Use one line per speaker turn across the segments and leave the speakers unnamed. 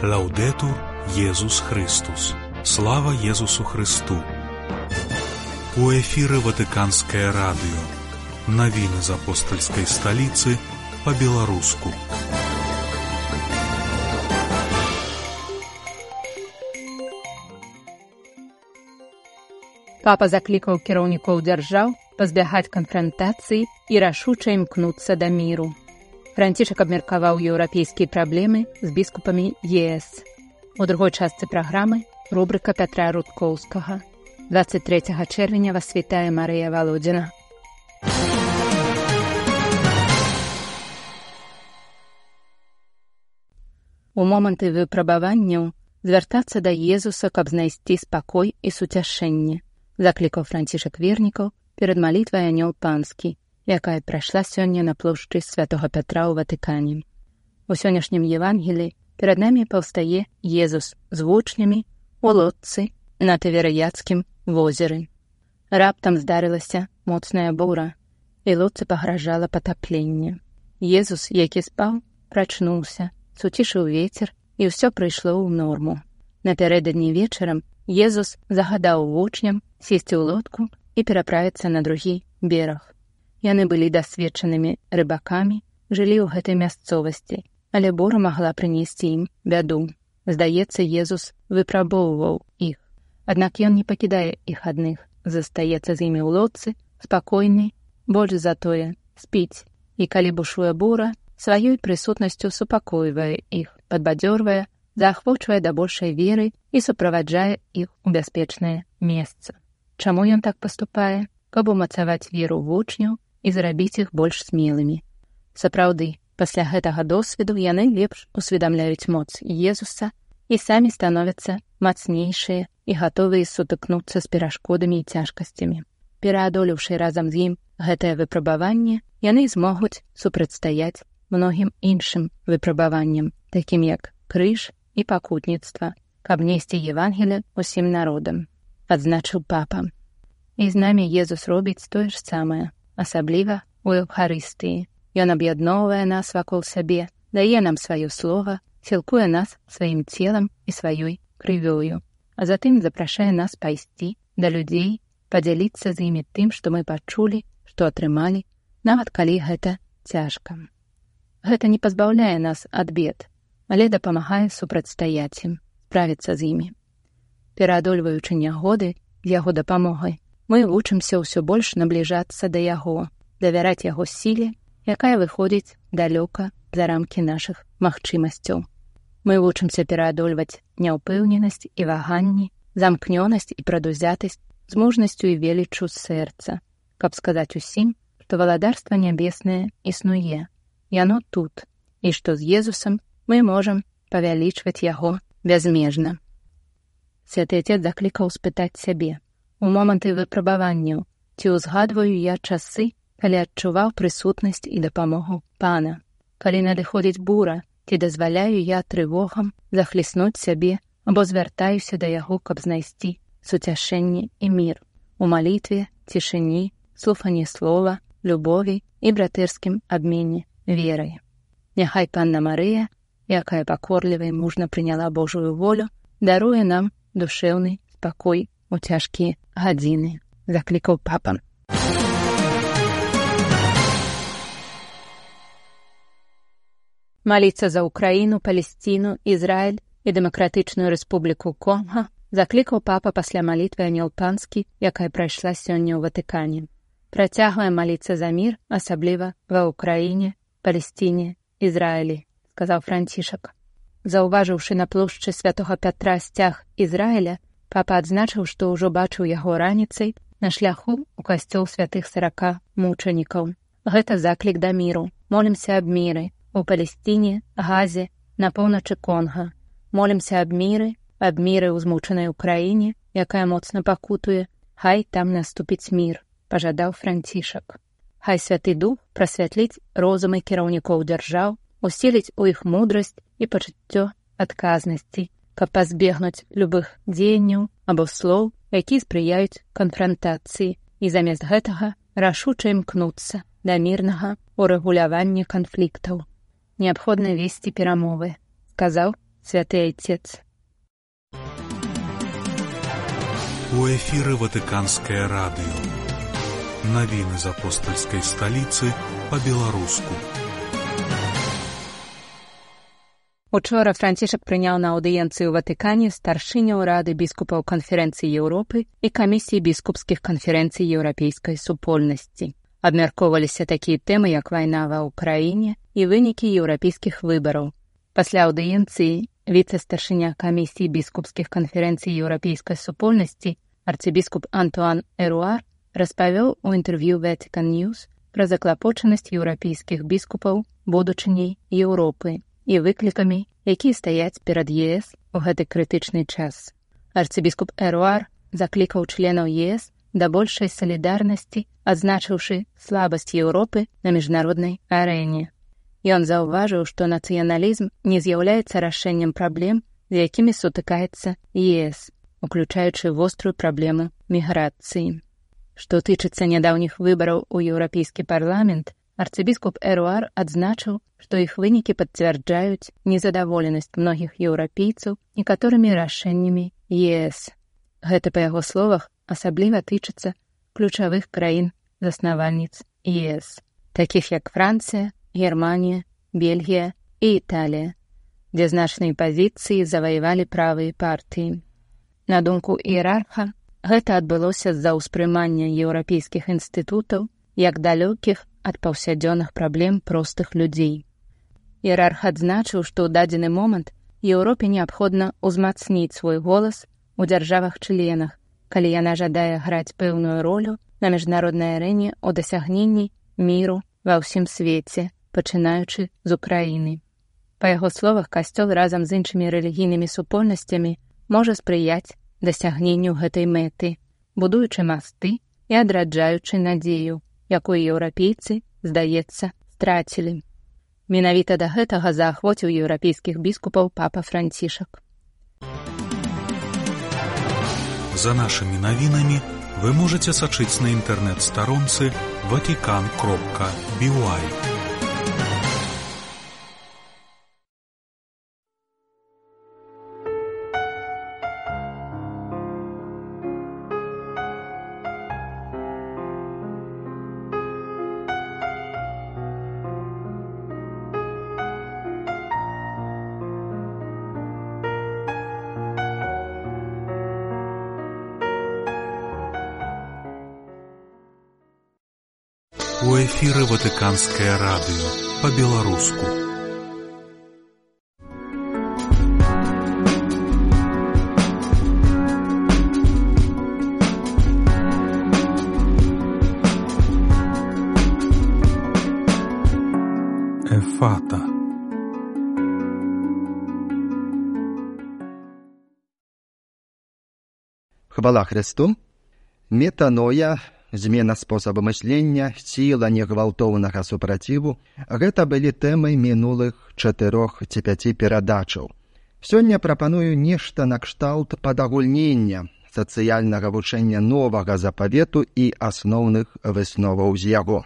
Лаўдетур Єсус Христос. Слава Єсусу Христу. У эфіры Ватыканскае радыё. Навіны з апостальскай сталіцы па-беларуску.
Папа заклікаў кіраўнікоў дзяржаў пазбягаць канфрантацыі і рашуча імкнуцца да міру. Францішак абмеркаваў еўрапейскія праблемы з біскупамі ЕС. У другой частцы праграмы рубрика Пятра Рудкоўскага. 23 чэрвеня вас вітае Марыя Валодзіна. У моманты выпрабаванняў звяртацца да Езуса, каб знайсці спакой і суцяшэнне, заклікаў Францішак вернікаў перад малітвай Анёл Панскі, якая прайшла сёння на плошчы Святога Пятра ў Ватыкане. У сённяшнім Евангеліі перад намі паўстае Езус з вучнямі у лодцы на Тыверыяцкім возеры. Раптам здарылася моцная бура, і лодцы пагражала патапленне. Езус, які спаў, прачнуўся, суцішыў вецер, і ўсё прыйшло ў норму. Напярэдадні вечарам Езус загадаў вучням сесці ў лодку і пераправіцца на другі бераг. Яны былі дасведчанымі рыбакамі, жылі ў гэтай мясцовасці, але бура магла прынесці ім бяду. Здаецца, Езус выпрабоўваў іх. Аднак ён не пакідае іх адных, застаецца з імі ў лодцы, спакойны, больш за тое, спіць. І калі бушуе бура, сваёй прысутнасцю супакойвае іх, падбадзёрвае, заахвочвае да большай веры і суправаджае іх у бяспечнае месца. Чаму ён так паступае? Каб умацаваць веру вучняў і зрабіць іх больш смелымі. Сапраўды, пасля гэтага досведу яны лепш усведамляюць моц Езуса і самі становяцца мацнейшыя і гатовыя сутыкнуцца з перашкодамі і цяжкасцямі. Пераадолеўшы разам з ім гэтае выпрабаванне, яны змогуць супрацьстаяць многім іншым выпрабаванням, такім як крыж і пакутніцтва, каб несці Евангелие усім народам, адзначыў папа. І з намі Езус робіць тое ж самае, асабліва ў Еўхарыстыі. Ён аб'ядноўвае нас вакол сябе, дае нам сваё слова, сілкуе нас сваім целам і сваёй крывёю, а затым запрашае нас пайсці да людзей, падзяліцца з імі тым, што мы пачулі, што атрымалі, нават калі гэта цяжка. Гэта не пазбаўляе нас ад бед, але дапамагае супрацьстаяць ім, справіцца з імі. Пераадольваючы нягоды з яго дапамогай, мы вучымся ўсё больш набліжацца да яго, давяраць яго сіле, якая выходзіць далёка за рамкі нашых магчымасцяў. Мы вучымся пераадольваць няўпэўненасць і ваганні, замкнёнасць і прадузятасць з мужнасцю і веліччу сэрца, каб сказаць усім, што валадарства нябеснае існуе, яно тут, і што з Езусам мы можам павялічваць яго бязмежна. Святы Отец заклікаў спытаць сябе: у моманты выпрабаванняў ці ўзгадваю я часы, калі адчуваў прысутнасць і дапамогу Пана? Калі надыходзіць бура, ці дазваляю я трывогам захліснуць сябе або звяртаюся да яго, каб знайсці суцяшэнне і мір у малітве, цішыні, слуханні слова, любові і братэрскім абмене верай. Няхай Панна Марыя, якая пакорліва і мужна прыняла Божую волю, даруе нам душэўны спакой у цяжкія гадзіны, заклікаў папа. Маліцца за Украіну, Палесціну, Ізраіль і Дэмакратычную Рэспубліку Конга заклікаў папа пасля малітвы Анёл Панскі, якая прайшла сёння ў Ватыкане. Працягваем маліцца за мір, асабліва ва Ўкраіне, Палесціне, Ізраілі, сказаў Францішак. Заўважыўшы на плошчы Святога Пятра сцяг Ізраіля, папа адзначыў, што ўжо бачыў яго раніцай на шляху ў касцёл святых 40 мучанікаў. Гэта заклік да міру. Молімся аб міры у Палесціне, Газе, на поўначы Конга. Молімся аб міры ў змучанай Украіне, якая моцна пакутуе. Хай там наступіць мір, пажадаў Францішак. Хай Святы Дух прасвятліць розумы кіраўнікоў дзяржаў, усіліць у іх мудрасць і пачуццё адказнасці, каб пазбегнуць любых дзеянняў або слоў, якія спрыяюць канфрантацыі, і замест гэтага рашуча імкнуцца да мірнага урэгулявання канфліктаў. Неабходна весці перамовы, сказаў Святый Отец.
У эфіры Ватыканскае радыё. Навіны з апостальскай сталіцы па-беларуску.
Учора Францішак прыняў на аўдыенцыі ў Ватыкане старшыняў Рады біскупаў Канферэнцыі Еўропы і камісіі біскупскіх канферэнцый еўрапейскай супольнасці. Абмяркоўваліся такія тэмы, як вайна ва ўкраіне і вынікі еўрапейскіх выбараў. Пасля аўдыенцыі віцэ-старшыня камісіі біскупскіх канферэнцый еўрапейскай супольнасці арцыбіскуп Антуан Эруар распавёў у інтэрв'ю Vatican News пра заклапочанасць еўрапейскіх біскупаў будучыняй Еўропы і выклікамі, якія стаяць перад ЕС у гэты крытычны час. Арцыбіскуп Эруар заклікаў членаў ЕС да большай салідарнасці, адзначыўшы слабасць Еўропы на міжнароднай арэне. Ён заўважыў, што нацыяналізм не з'яўляецца рашэннем праблем, з якімі сутыкаецца ЕС, уключаючы вострую праблему міграцыі. Што тычыцца нядаўніх выбараў у Еўрапейскі парламент, арцыбіскуп Эруар адзначыў, што іх вынікі пацвярджаюць незадаволенасць многіх еўрапейцаў некаторымі рашэннямі ЕС. Гэта, па яго словах, асабліва тычыцца ключавых краін-заснавальніц ЕС, такіх як Францыя, Германія, Бельгія і Італія, дзе значныя пазіцыі заваявалі правыя партыі. На думку іерарха, гэта адбылося з-за ўспрымання еўрапейскіх інстытутаў як далёкіх ад паўсядзённых праблем простых людзей. Іерарх адзначыў, што ў дадзены момант Еўропе неабходна ўзмацніць свой голас у дзяржавах-членах, калі яна жадае граць пэўную ролю на міжнароднай арэне ў дасягненні міру ва ўсім свеце, пачынаючы з Украіны. Па яго словах, касцёл разам з іншымі рэлігійнымі супольнасцямі можа спрыяць дасягненню гэтай мэты, будуючы масты і адраджаючы надзею, якую еўрапейцы, здаецца, страцілі. Менавіта да гэтага заахвоціў еўрапейскіх біскупаў папа Францішак.
За нашымі навінамі вы можаце сачыць на інтэрнэт-старонцы vatican.by. У эфіры Ватыканскае радыё па-беларуску. Ефата.
Хвала Христу. Метаноя, змена спосабу мыслення, сіла негвалтоўнага супраціву – гэта былі тэмы мінулых 4 ці 5 перадачаў. Сёння прапаную нешта накшталт падагульнення сацыяльнага вучэння новага запавету і асноўных высноваў з яго.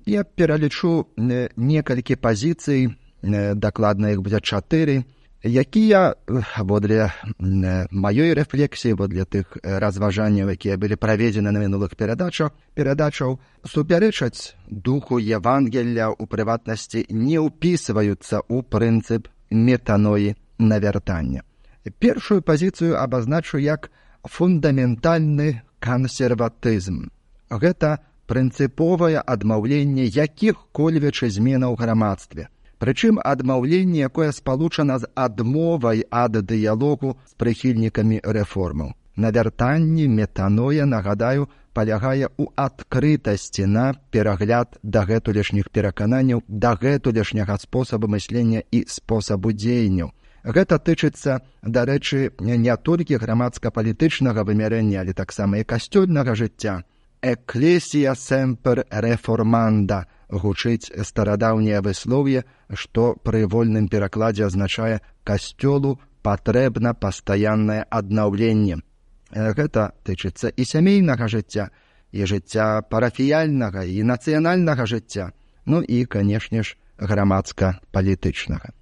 Я пералічу некалькі пазіцый, дакладна іх будзе 4, якія, водле маёй рэфлексіі, водле тых разважанняў, якія былі праведзены на мінулых перадачаў, супярэчаць духу Евангелля, у прыватнасці не ўпісваюцца ў прынцып метаноі навяртання. Першую пазіцыю абазначу як фундаментальны кансерватызм. Гэта прынцыповае адмаўленне якіх-кольвек зменаў у грамадстве. Прычым адмаўленне, якое спалучана з адмовай ад дыялогу з прыхільнікамі рэформаў. Навяртанне, метаноя, нагадаю, палягае ў адкрытасці на перагляд дагэтулешніх перакананняў, дагэтулешняга спосабу мыслення і спосабу дзеянняў. Гэта тычыцца, дарэчы, не толькі грамадска-палітычнага вымярэння, але таксама і касцёльнага жыцця. «Ecclesia semper reformanda» гучыць старадаўняе выслоўе, што пры вольным перакладзе азначае «касцёлу патрэбна пастаяннае аднаўленне». Гэта тычыцца і сямейнага жыцця, і жыцця парафіяльнага, і нацыянальнага жыцця, ну і, канешне ж, грамадска-палітычнага.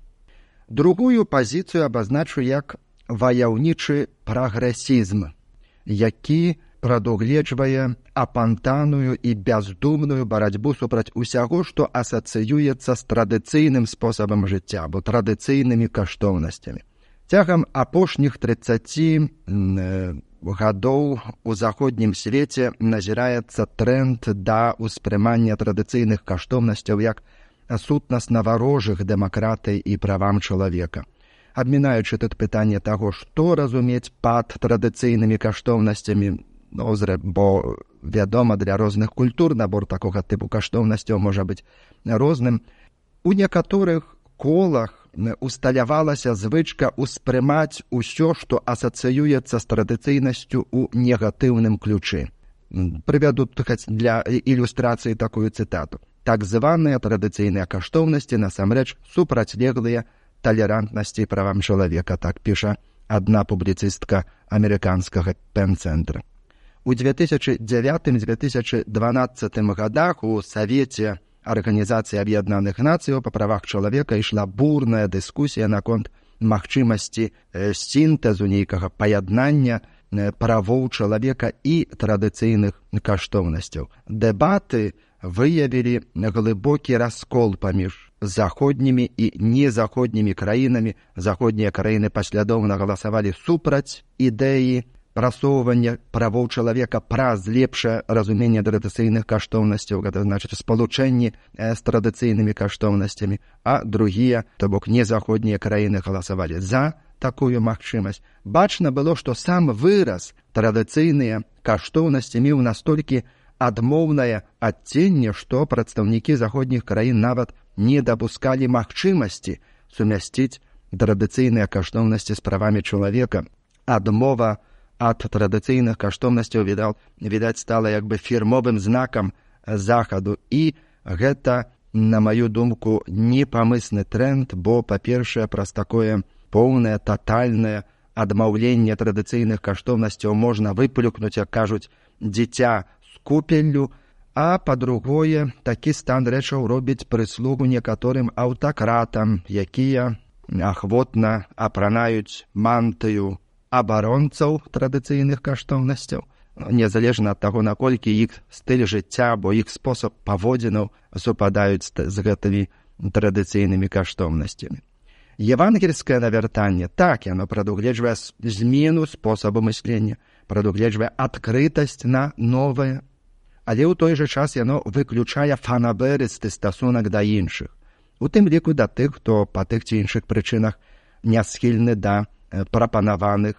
Другую пазіцыю абазначу як ваяўнічы прагрэсізм, які прадугледжвае апантаную і бяздумную барацьбу супраць усяго, што асацыюецца з традыцыйным спосабам жыцця або традыцыйнымі каштоўнасцямі. Цягам апошніх 30 гадоў у заходнім свеце назіраецца тренд да ўспрымання традыцыйных каштоўнасцяў як сутнасна варожых дэмакратыі і правам чалавека. Абмінаючы тут пытанне таго, што разумець пад традыцыйнымі каштоўнасцямі, бо вядома, для розных культур набор такога тыпу каштоўнасцяў можа быць розным. У некаторых колах усталявалася звычка ўспрымаць усё, што асацыюецца з традыцыйнасцю ў негатыўным ключы. Прывяду для ілюстрацыі такую цытату. Так званыя традыцыйныя каштоўнасці насамрэч супрацьлеглыя талерантнасці і правам чалавека, так піша адна публіцыстка амерыканскага Пен-цэнтра. У 2009-2012 годах у Савеце Арганізацыі Аб'яднаных Нацыяў па правах чалавека ішла бурная дыскусія наконт магчымасці сінтэзу нейкага паяднання правоў чалавека і традыцыйных каштоўнасцяў. Дэбаты выявілі глыбокі раскол паміж заходнімі і незаходнімі краінамі. Заходнія краіны паслядоўна галасавалі супраць ідэі прасоўвання правоў чалавека праз лепшае разуменне традыцыйных каштоўнасцяў, гэта значыць спалучэнні з традыцыйнымі каштоўнасцямі, а другія, то бок незаходнія краіны галасавалі за такую магчымасць. Бачна было, што сам выраз традыцыйныя каштоўнасці меў настолькі адмоўнае адценне, што прадстаўнікі заходніх краін нават не дапускалі магчымасці сумясціць традыцыйныя каштоўнасці з правамі чалавека. Адмова ад традыцыйных каштоўнасцяў, відаць, стала як бы фірмовым знакам захаду. І гэта, на маю думку, непамысны тренд, бо, па-першае, праз такое поўнае, татальнае адмаўленне традыцыйных каштоўнасцяў можна выплюкнуць, як кажуць, дзіця з купеллю, а па-другое, такі стан рэчаў робіць прыслугу некаторым аўтакратам, якія ахвотна апранаюць мантыю абаронцаў традыцыйных каштоўнасцяў, незалежна ад таго, наколькі іх стыль жыцця або іх спосаб паводзінаў супадаюць з гэтымі традыцыйнымі каштоўнасцямі. Евангельскае навяртанне, так, яно прадугледжвае змену спосабу мыслення, прадугледжвае адкрытасць на новае, але ў той жа час яно выключае фанабэрысты стасунак да іншых, у тым ліку да тых, хто па тых ці іншых прычынах не схільны да прапанаваных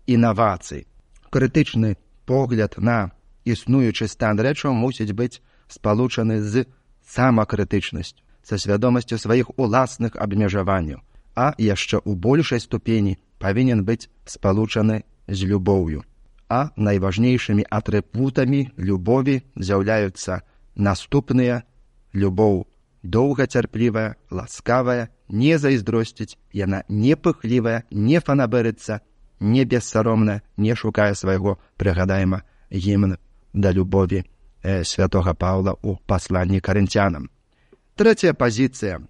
інавацый. Крытычны погляд на існуючы стан рэчаў мусіць быць спалучаны з самакрытычнасцю, са свядомасцю сваіх уласных абмежаванняў, а яшчэ ў большай ступені павінен быць спалучаны з любоўю. А найважнейшымі атрыбутамі любові з'яўляюцца наступныя: любоў доўгацярплівая, ласкавая, не зайздросціць, яна не пыхлівая, не фанабэрыцца, не бессаромная, не шукае свайго, прыгадаема гімн да любові святога Паўла ў пасланні карынцянам. Трэцяя пазіцыя –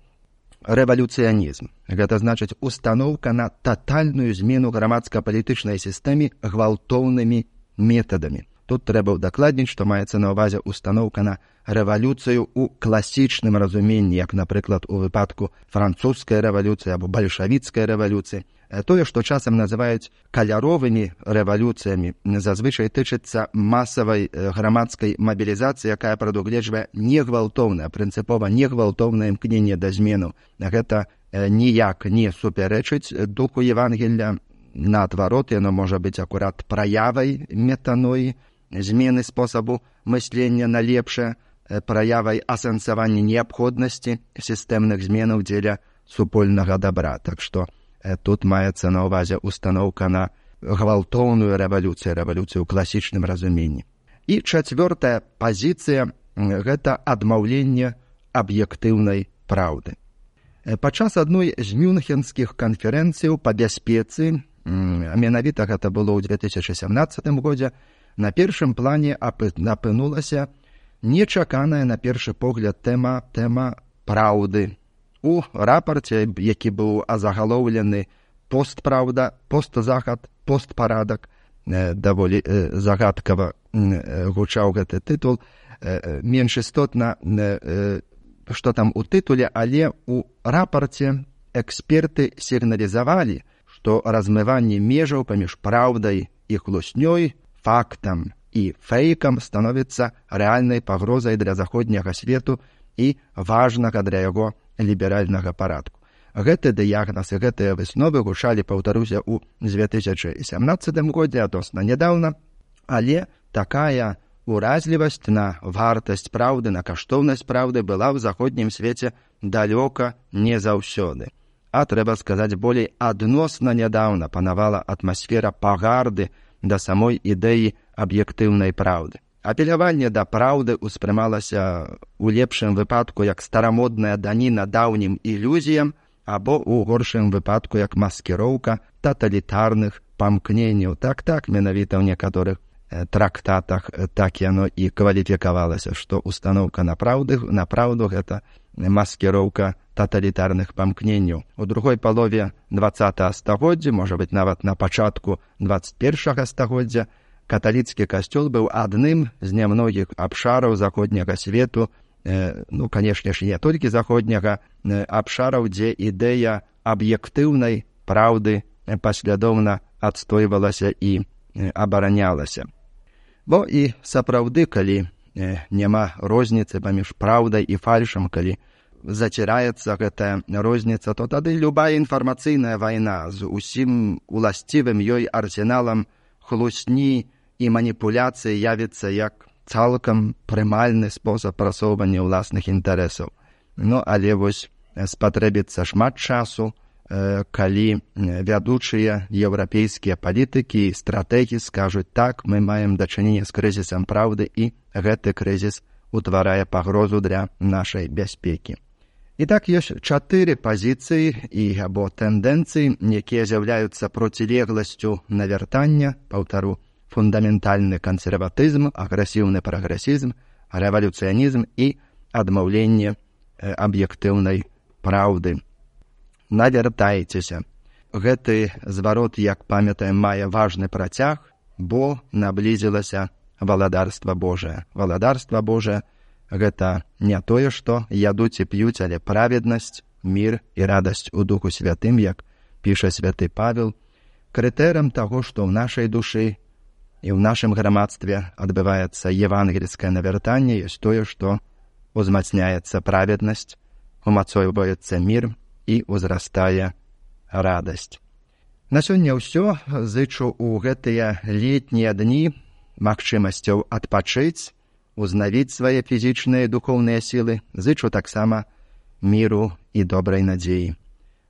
рэвалюцыянізм. Гэта значыць устаноўка на татальную змену грамадска-палітычнай сістэмы гвалтоўнымі метадамі. Тут трэба ўдакладніць, што маецца на ўвазе устаноўка на рэвалюцыю ў класічным разуменні, як, напрыклад, у выпадку французскай рэвалюцыі або бальшавіцкай рэвалюцыі. Тое, што часам называюць каляровымі рэвалюцыямі, зазвычай тычыцца масавай грамадскай мабілізацыі, якая прадугледжвае негвалтоўнае, прынцыпова негвалтоўнае імкненне да змену. Гэта ніяк не супярэчыць духу Евангелля. Наадварот, яно можа быць акурат праявай метаноі, змены спосабу мыслення на лепшае, праявай асэнсавання неабходнасці сістэмных зменаў дзеля супольнага добра. Так што тут маецца на ўвазе устаноўка на гвалтоўную рэвалюцыю, рэвалюцыю ў класічным разуменні. І чацвёртая пазіцыя – гэта адмаўленне аб'ектыўнай праўды. Падчас адной з мюнхенскіх канферэнцыяў па бяспецы, а менавіта гэта было ў 2017 годзе, на першым плане апынулася нечаканая на першы погляд тэма праўды. У рапарце, які быў азагалоўлены «Постправда», «Постзахад», «Постпарадак», даволі загадкава гучаў гэты тытул, менш істотна, што там у тытуле, але у рапарце эксперты сігналізавалі, што размыванне межаў паміж праўдай і хлуснёй, фактам і фэйкам становіцца рэальнай пагрозай для заходняга свету і важнага для яго ліберальнага парадку. Гэты дыягназ і гэтыя высновы гучалі, паўтаруся, у 2017 годзе, адносна нядаўна, але такая уразлівасць на вартасць праўды, на каштоўнасць праўды была ў заходнім свеце далёка не заўсёды. А трэба сказаць, болей адносна нядаўна панавала атмасфера пагарды да самой ідэі аб'ектыўнай праўды. Апеляванне да праўды ўспрымалася у лепшым выпадку як старамодная даніна даўнім ілюзіям, або ў горшым выпадку як маскіроўка таталітарных памкненняў. Так, менавіта ў некаторых трактатах так яно і кваліфікавалася, што устаноўка на праўду гэта маскіроўка таталітарных памкненняў. У другой палове 20 стагоддзя, можа быць, нават на пачатку 21 стагоддзя, каталіцкі касцёл быў адным з нямногіх абшараў заходняга свету, канешне ж, не толькі заходняга, абшараў, дзе ідэя аб'ектыўнай праўды паслядоўна адстойвалася і абаранялася. Бо і сапраўды, калі няма розніцы паміж праўдай і фальшам, калі заціраецца гэтая розніца, то тады любая інфармацыйная вайна з усім уласцівым ёй арсеналам хлусні і маніпуляцыі явіцца як цалкам прымальны спосаб прасоўвання ўласных інтарэсаў. Але вось спатрэбіцца шмат часу, калі вядучыя еўрапейскія палітыкі і стратэгі скажуць: так, мы маем дачыненне з крызісам праўды, і гэты крызіс утварае пагрозу для нашай бяспекі. І так, ёсць 4 пазіцыі або тэндэнцыі, якія з'яўляюцца процілегласцю навяртання, паўтару, фундаментальны кансерватызм, агрэсіўны прагрэсізм, рэвалюцыянізм і адмаўленне аб'ектыўнай праўды. Навяртайцеся. Гэты зварот, як памятаем, мае важны працяг, бо наблізілася валадарства Божае. Валадарства Божае — гэта не тое, што ядуць і п'юць, але праведнасць, мір і радасць у Духу Святым, як піша святы Павел. Крытэрам таго, што ў нашай душы і ў нашым грамадстве адбываецца евангельскае навяртанне, ёсць тое, што узмацняецца праведнасць, умацоўваецца мір і ўзрастае радасць. На сёння ўсё. Зычу ў гэтыя летнія дні магчымасцяў адпачыць, узнавіць свае фізічныя і духоўныя сілы. Зычу таксама міру і добрай надзеі.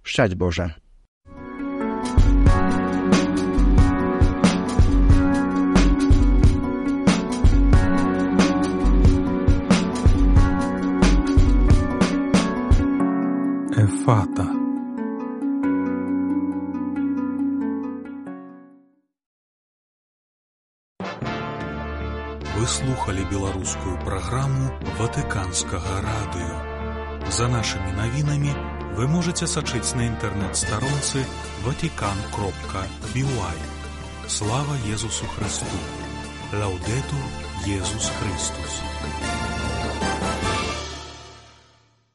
Шчасць Божа!
Эфата. Вы слухали беларускую праграму Ватыканскага радыё. За нашымі навінамі вы можаце сачыць на інтэрнэт-старонцы vatican.by. Слава Езусу Христу! Лаўдэтур Езус Христус!